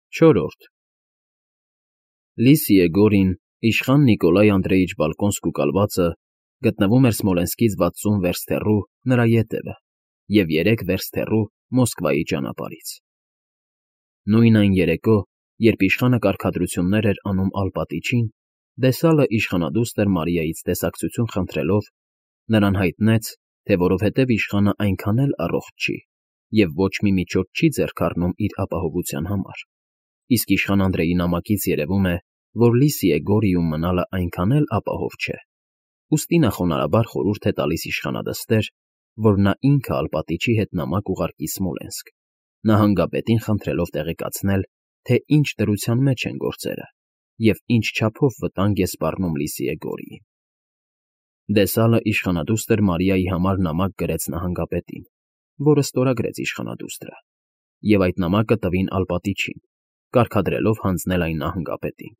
Չորրորդ Լիսիե Գորին, իշխան Նիկոլայ Անդրեիչ Բալկոնսկու կալվածը, գտնվում էր Սմոլենսկից 60 վերստ հեռու նրա ետևը և 3 վերստ հեռու Մոսկվայի ճանապարհից։ Նույն այն երեկո, երբ իշխանը կարգադրություններ էր անում Ալպատիչին, Դեսալը իշխանադուստր Մարիայից տեսակցություն խնդրելով, նրան հայտնեց, թե որովհետև իշխանը այնքան էլ առողջ չի և ոչ մի միջոց չի ձեռք առնում իր ապահովության համար, իսկ իշխան Անդրեի նամակից երևում է, որ Լիսիե Գորիում մնալը այնքան էլ ապահով չէ, ուստի նա խոնարհաբար խորհուրդ է տալիս իշխանադստեր, որ նա ինքը Ալպատիչի հետ նամակ ուղարկի Սմոլենսկ, նահանգապետին խնդրելով տեղեկացնել, թե ինչ դրության մեջ են գործերը և ինչ չափով վտանգ է սպառնում Լիսիե Գորիին։ Դեսալը իշխանադուստր Մարիայի համար նամակ գրեց նահանգապետին, որը ստորագրեց իշխանադուստրը, և այդ նամակը տվին Ալպատիչին, կարգադրելով հանձնել այն նահանգապետին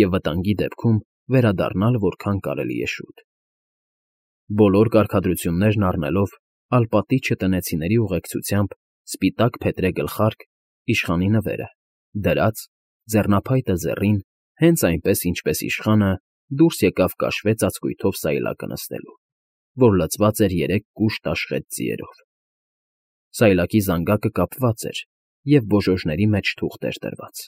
և վտանգի դեպքում վերադառնալ որքան կարելի է շուտ։ Բոլոր կարգադրություններն առնելով, Ալպատիչը տնեցիների ուղեկցությամբ սպիտակ փետրե գլխարկ, իշխանի նվերը, դրած, ձեռնափայտը ձեռին, հենց այնպես, ինչպես իշխանը դուրս եկավ կաշվե ծածկույթով սայլակը նստելու, որ լցված էր 3 կուշտ աշխեծ ձիերով։ Սայլակի զանգակը կապված էր և բոժոժների մեջ թուղթ էր դրված։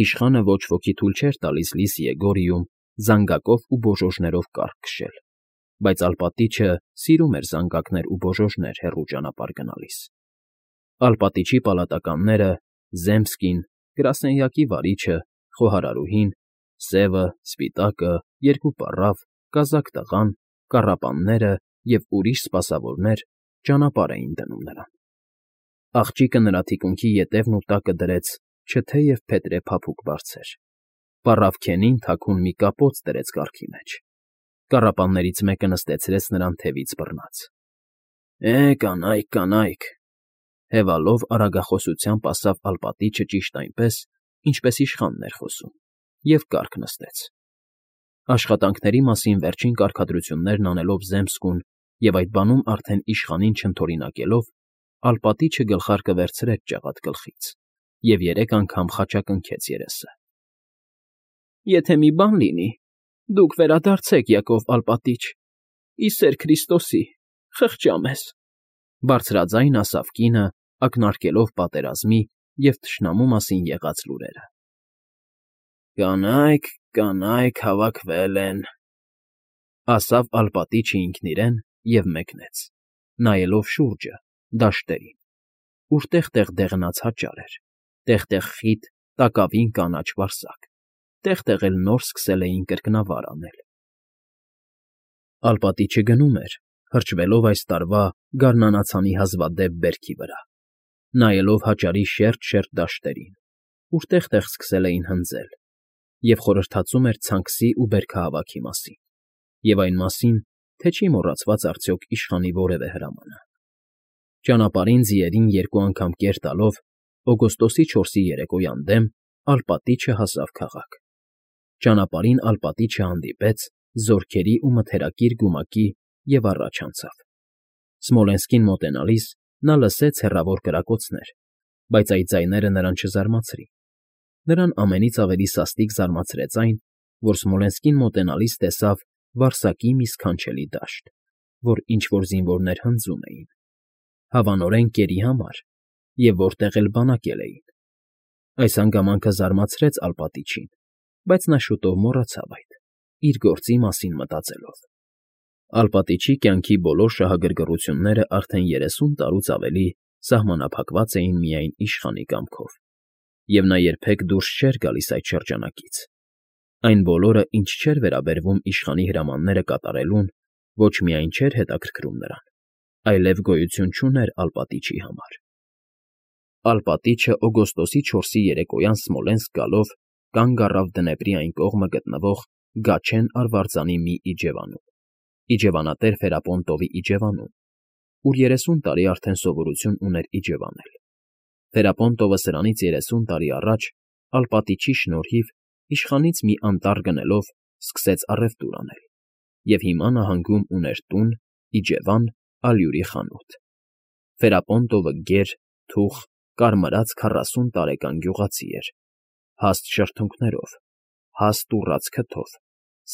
Իշխանը ոչ ոքի թույլ չէր տալիս Լիսիե Գորիում զանգակով ու բոժոժներով կառք քշել, բայց Ալպատիչը սիրում էր զանգակներ ու բոժոժներ հեռու ճանապարհ գնալիս։ Ալպատիչի պալատականները՝ Զեմսկին, գրասենյակի վարիչը, խոհարարուհին, Սևը, Սպիտակը, 2 պառավ, կազակ տղան, կառապանները և ուրիշ սպասավորներ ճանապարհ էին դնում նրան։ Աղջիկը նրա թիկունքի ետևն ու տակը դրեց չթեև փետրե փափուկ բարձր, պառավ Քենին թաքուն մի կապոց դրեց կառքի մեջ, կառապաններից մեկը նստեցրեց նրան թևից բռնած։ Կանայք, կանայք, հևալով արագախոսությամբ ասավ Ալպատիչը ճիշտ այնպես, ինչպես իշխանն էր խոսում, և կառք նստեց։ Աշխատանքների մասին վերջին կարգադրություններն անելով Զեմսկուն և այդ բանում արդեն իշխանին չընդօրինակելով, Ալպատիչը գլխարկը վերցրեց ջաղատ գլխից և 3 անգամ խաչակնքեց երեսը։ Եթե մի բան լինի, դուք վերադարձեք, Յակով Ալպատիչ, ի սեր Քրիստոսի, խղճա մեզ, բարձրաձայն ասավ կինը, ակնարկելով պատերազմի և թշնամու մասին եղած լուրերը։ Կանայք, կանայք հավաքվել են, ասավ Ալպատիչը ինքն իրեն և մեկնեց, նայելով շուրջը, դաշտերին, ուր տեղ֊տեղ դեղնած հաճար էր, տեղ֊տեղ խիտ, տակավին կանաչ վարսակ, տեղ֊տեղ էլ նոր սկսել էին կրկնավար անել։ Ալպատիչը գնում էր, հրճվելով այս տարվա գարնանացանի հազվադեպ բերքի վրա, նայելով հաճարի շերտ֊շերտ դաշտերին, ուր տեղ֊տեղ սկսել էին հնձել, և խորհրդածում էր ցանքսի ու բերքահավաքի մասին, և այն մասին, թե չի մոռացված արդյոք իշխանի որևէ հրամանը։ Ճանապարհին ձիերին 2 անգամ կեր տալով, օգոստոսի 4-ի երեկոյան դեմ Ալպատիչը հասավ քաղաք։ Ճանապարհին Ալպատիչը հանդիպեց զորքերի ու մթերակիր գումակի և առաջ անցավ։ Սմոլենսկին մոտենալիս նա լսեց հեռավոր կրակոցներ, բայց այդ ձայները նրան չզարմացրին։ Նրան ամենից ավելի սաստիկ զարմացրեց այն, որ Սմոլենսկին մոտենալիս տեսավ Վարսակի մի սքանչելի դաշտ, որ ինչ֊որ զինվորներ հնձում էին, հավանորեն կերի համար, և որտեղ էլ բանակել էին։ Այս հանգամանքը զարմացրեց Ալպատիչին, բայց նա շուտով մոռացավ այդ, իր գործի մասին մտածելով։ Ալպատիչի կյանքի բոլոր շահագրգռությունները արդեն 30 տարուց ավելի սահմանափակված էին միայն իշխանի կամքով, և նա երբեք դուրս չէր գալիս այդ շրջանակից։ Այն բոլորը, ինչ չէր վերաբերվում իշխանի հրամանները կատարելուն, ոչ միայն չէր հետաքրքրում նրան, այլև գոյություն չուներ Ալպատիչի համար։ Ալպատիչը օգոստոսի 4-ի երեկոյան Սմոլենսկ գալով կանգ առավ Դնեպրի այն կողմը գտնվող Գաչեն արվարձանի մի իջևանում, իջևանատեր Ֆերապոնտովի իջևանում, ուր 30 տարի արդեն սովորություն ուներ իջևանել։ Ֆերապոնտովը սրանից 30 տարի առաջ Ալպատիչի շնորհիվ իշխանից մի անտառ գնելով սկսեց առևտուր անել, և հիմա նահանգում ուներ տուն, իջևան, ալյուրի խանութ։ Ֆերապոնտովը գեր, թուխ, կարմրած 40 տարեկան գյուղացի էր, հաստ շրթունքներով, հաստ ուռած քթով,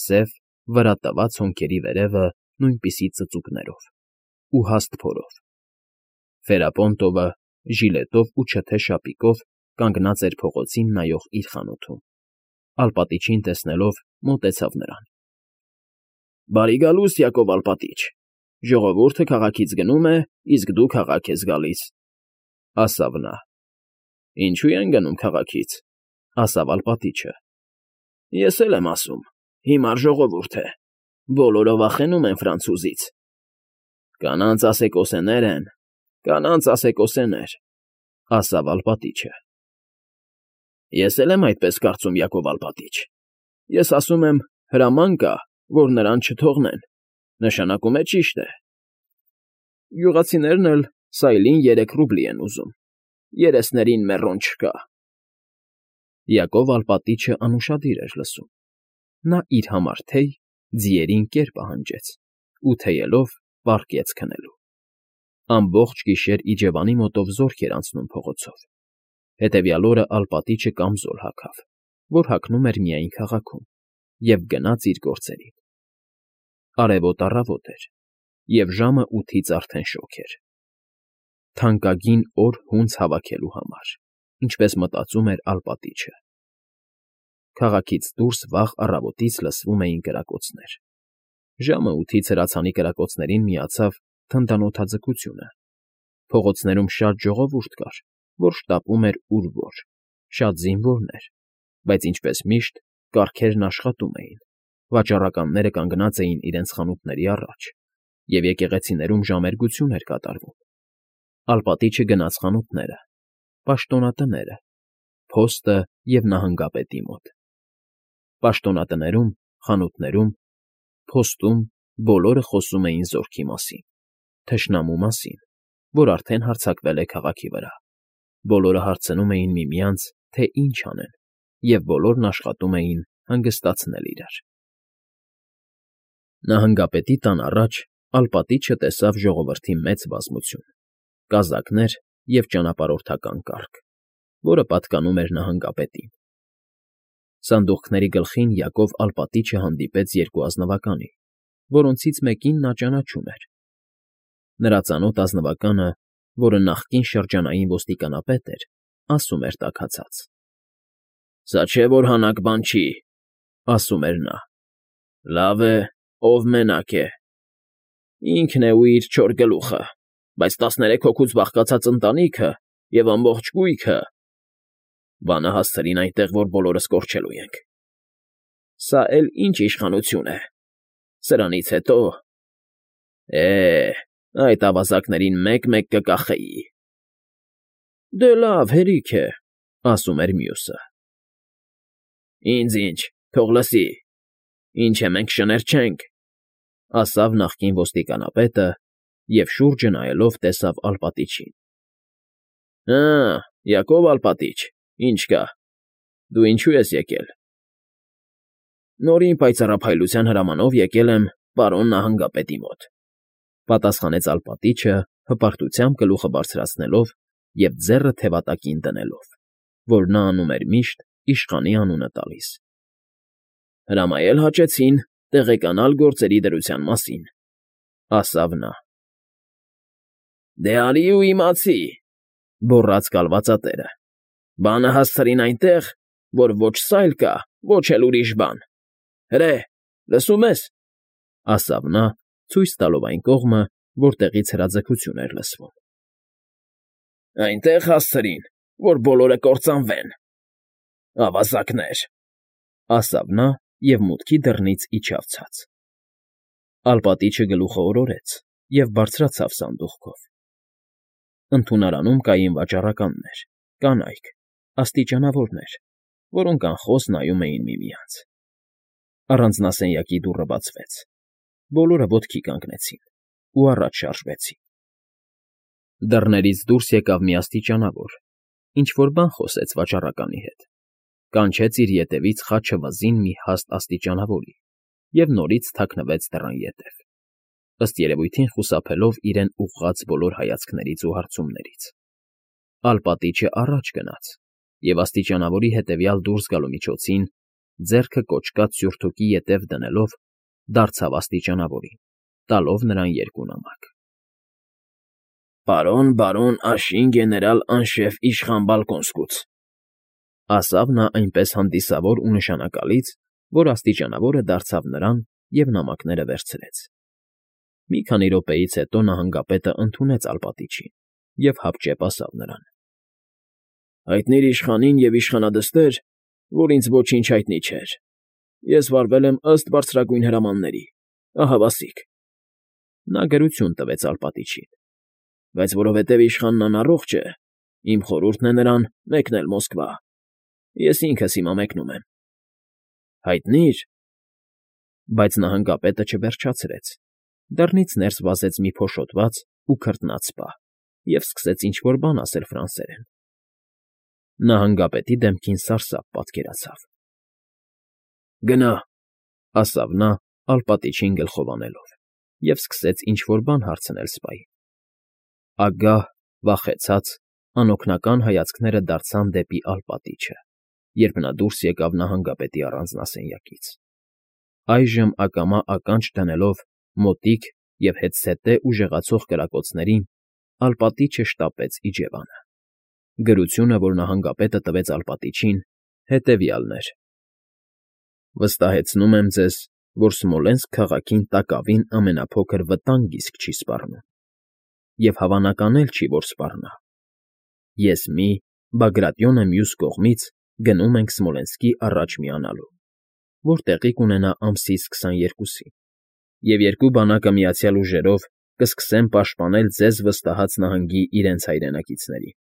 սև, վրա տված հոնքերի վերևը նույնպիսի ծծուկներով ու հաստ փորով։ Ֆերապոնտովը ժիլետով ու չթե շապիկով կանգնած էր փողոցին նայող իր խանութում, Ալպատիչին տեսնելով մոտեցավ նրան։ ֊ Բարի գալուստ, Յակով Ալպատիչ, ժողովուրդը քաղաքից գնում է, իսկ դու քաղաք ես գալիս, ֊ ասավ նա։ ֊ Ինչո՞ւ են գնում քաղաքից, ֊ ասավ Ալպատիչը։ ֊ Ես էլ եմ ասում, հիմար ժողովուրդ է, բոլորը վախենում են ֆրանցուզից։ ֊ Կանանց ասեկոսեներ են, կանանց ասեկոսեներ, ֊ ասավ Ալպատիչը։ ֊ Ես էլ եմ այդպես կարծում, Յակով Ալպատիչ։ Ես ասում եմ, հրաման կա, որ նրան չթողնեն, նշանակում է ճիշտ է։ Գյուղացիներն էլ սայլին 3 ռուբլի են ուզում, երեսներին մեռոն չկա։ Յակով Ալպատիչը անուշադիր էր լսում։ Նա իր համար թեյ ձիերին կեր պահանջեց ու թեյելով պառկեց քնելու։ Ամբողջ գիշեր իջևանի մոտով զորք էր անցնում փողոցով։ Հետևյալ օրը Ալպատիչը կամզոլ հագավ, որ հագնում էր միայն քաղաքում, և գնաց իր գործերին։ Արևոտ առավոտ էր, և ժամը 8-ից արդեն շոգ էր։ Թանկագին օր հունձ հավաքելու համար, ինչպես մտածում էր Ալպատիչը։ Քաղաքից դուրս վաղ առավոտից լսվում էին կրակոցներ։ Ժամը 8-ից հրացանի կրակոցներին միացավ թնդանոթաձգությունը։ Փողոցներում շատ ժողովուրդ կար, որ շտապում էր ուր որ, շատ զինվորներ, բայց ինչպես միշտ կառքերն աշխատում էին, վաճառականները կանգնած էին իրենց խանութների առաջ, և եկեղեցիներում ժամերգություն էր կատարվում։ Ալպատիչը գնաց խանութները, պաշտոնատները, փոստը և նահանգապետի մոտ։ Պաշտոնատներում, խանութներում, փոստում բոլորը խոսում էին զորքի մասին, թշնամու մասին, որ արդեն հարձակվել է քաղաքի վրա։ Բոլորը հարցնում էին միմյանց, թե ինչ անեն, և բոլորն աշխատում էին հանգստացնել իրար։ Նահանգապետի տան առաջ Ալպատիչը տեսավ ժողովրդի մեծ բազմություն, կազակներ և ճանապարհորդական կառք, որը պատկանում էր նահանգապետին։ Սանդուղքների գլխին Յակով Ալպատիչը հանդիպեց 2 ազնվականի, որոնցից մեկին նա ճանաչում էր։ Նրա ծանոթ ազնվականը, որը նախկին շրջանային ոստիկանապետ էր, ասում էր տաքացած. «Սա չէ, որ հանաք բան չի», ֊ ասում էր նա։ «Լավ է, ով մենակ է։ Ինքն է ու իր 4 գլուխը, բայց 13 հոգուց բաղկացած ընտանիքը և ամբողջ կույքը։ Բանը հասցրին այնտեղ, որ բոլորս կորչելու ենք։ Սա էլ ինչ իշխանություն է։ Սրանից հետո… այդ ավազակներին մեկ֊մեկ կկախեի»։ «Դե լավ, հերիք է», ֊ ասում էր մյուսը։ «Ինձ ինչ, թող լսի, ինչ է, մենք շներ չենք», ֊ ասավ նախկին ոստիկանապետը և, շուրջը նայելով, տեսավ Ալպատիչին։ ֊ Հը, Յակով Ալպատիչ, ինչ կա, դու ինչո՞ւ ես եկել։ ֊ Նորին պայծառափայլության հրամանով եկել եմ պարոն նահանգապետի մոտ, ֊ պատասխանեց Ալպատիչը, հպարտությամբ գլուխը բարձրացնելով և ձեռը թևատակին դնելով, որ նա անում էր միշտ, իշխանի անունը տալիս։ ֊ Հրամայել հաճեցին տեղեկանալ գործերի դրության մասին, ֊ ասավ նա։ ֊ Դե արի ու իմացի, ֊ գոռաց կալվածատերը։ ֊ Բանը հասցրին այնտեղ, որ ոչ սայլ կա, ոչ էլ ուրիշ բան։ Հրե, լսում ես, ֊ ասավ նա, ցույց տալով այն կողմը, որտեղից հրաձգություն էր լսվում։ ֊ Այնտեղ հասցրին, որ բոլորը կործանվեն։ Ավազակներ, ֊ ասավ նա և մուտքի դռնից իջավ ցած։ Ալպատիչը գլուխը օրորեց և բարձրացավ սանդուղքով։ Ընդունարանում կային վաճառականներ, կանայք, աստիճանավորներ, որոնք անխոս նայում էին միմյանց։ Առանձնասենյակի դուռը բացվեց։ Բոլորը ոտքի կանգնեցին ու առաջ շարժվեցին։ Դռներից դուրս եկավ մի աստիճանավոր, ինչ֊որ բան խոսեց վաճառականի հետ, կանչեց իր ետևից խաչը վզին մի հաստ աստիճանավորի և նորից թաքնվեց դռան ետև, ըստ երևույթին խուսափելով իրեն ուղղված բոլոր հայացքներից ու հարցումներից։ Ալպատիչը առաջ գնաց և աստիճանավորի հետևյալ դուրս գալու միջոցին, ձեռքը կոճկած սյուրթուկի ետև դնելով, դարձավ աստիճանավորին, տալով նրան երկու նամակ։ «Պարոն բարոն Աշին գեներալ անշեֆ իշխան Բալկոնսկուց», ասավ նա այնպես հանդիսավոր ու նշանակալից, որ աստիճանավորը դարձավ նրան և նամակները վերցրեց։ Մի քանի րոպեից հետո նահանգապետը ընդունեց ալպատիչին և հապճեպ ասավ նրան. «Հայտնիր իշխանին և իշխանադստեր, որ ինձ ոչինչ հայտնի չէր. ես վարվել եմ ըստ բարձրագույն հրամանների, ահավասիկ»։ Նա գրություն տվեց ալպատիչին. «Բայց որովհետև իշխանն անառողջ է, իմ խորհուրդն է նրան մեկնել Մոսկվա. ես ինքս հիմա մեկնում եմ»։ «Հայտնի՞ր»։ Բայց նահանգապետը չվերջացրեց, դռնից ներս վազեց մի փոշոտված ու քրտնած պահ և սկսեց ինչ֊որ բան ասել ֆրանսերեն։ Նահանգապետի դեմքին սարսափ պատկերացավ։ «Գնա», ասավ նա, ալպատիչին գլխով անելով, և սկսեց ինչ֊որ բան հարցնել սպային։ Ագահ, վախեցած, անօգնական հայացքները դարձան դեպի ալպատիչը, երբ նա դուրս եկավ նահանգապետի առանձնասենյակից։ Այժմ ակամա ականջ դնելով մոտիկ և հետզհետե ուժեղացող կրակոցներին, ալպատիչը շտապեց իջևանը։ Գրությունը, որ նահանգապետը տվեց ալպատիչին, հետևյալն էր. «Վստահեցնում եմ ձեզ, որ Սմոլենսկ քաղաքին տակավին ամենափոքր վտանգ իսկ չի սպառնում, և հավանական էլ չի, որ սպառնա։ Ես մի, Բագրատյոնը մյուս կողմից գնում ենք Սմոլենսկի առաջ միանալու, որ տեղի կունենա ամսից 22-ին, և երկու բանակը միացյալ ուժերով կսկսեն պաշտպանել ձեզ վստահած նահանգի իրենց հայրենակիցներին,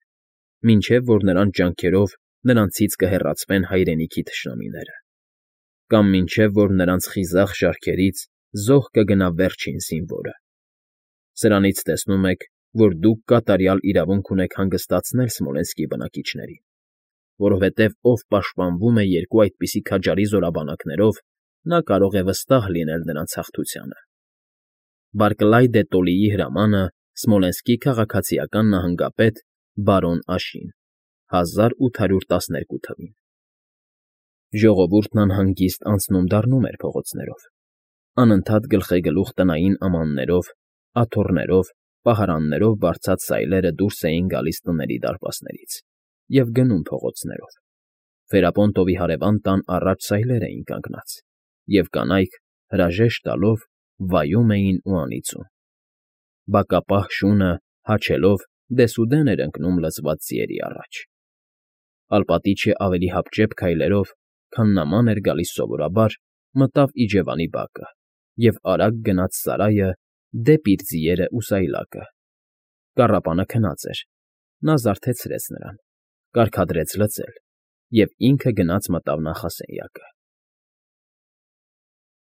մինչև որ նրանց ջանքերով նրանցից կհեռացվեն հայրենիքի թշնամիները, կամ մինչև որ նրանց խիզախ շարքերից զոհ կգնա վերջին զինվորը։ Սրանից տեսնում եք, որ դուք կատարյալ իրավունք ունեք հանգստացնել Սմոլենսկի բնակիչներին, որովհետև ով պաշտպանվում է երկու այդպիսի քաջարի զորաբանակներով, նա կարող է վստահ լինել նրանց հաղթությանը։ Բարկլայ դե Տոլիի հրամանը Սմոլենսկի քաղաքացիական նահանգապետ բարոն Աշին, 1812 թ. Ժողովուրդն անհանգիստ անցնում դառնում էր փողոցներով, անընդհատ գլխեգլուխ տնային ամաններով, աթոռներով, պահարաններով բարձած սայլերը դուրս էին գալիս տների դարպասներից և գնում փողոցներով։ Ֆերապոնտովի հարևան տան առաջ սայլեր էին կանգնած, և կանայք, հրաժեշտ տալով, վայում էին ու անիծում։ Բակապահ շունը, հաչելով, դեսուդեն էր ընկնում լցված ձիերի առաջ։ Ալպատիչը ավելի հապճեպ քայլերով, քան նման էր գալիս սովորաբար, մտավ իջևանի բակը և արագ գնաց սարայը դեպի իր ձիերն ու սայլակը։ Կառապանը քնած էր, նա զարթեցրեց նրան, կարգադրեց լցել և ինքը գնաց մտավ նախասենյակը։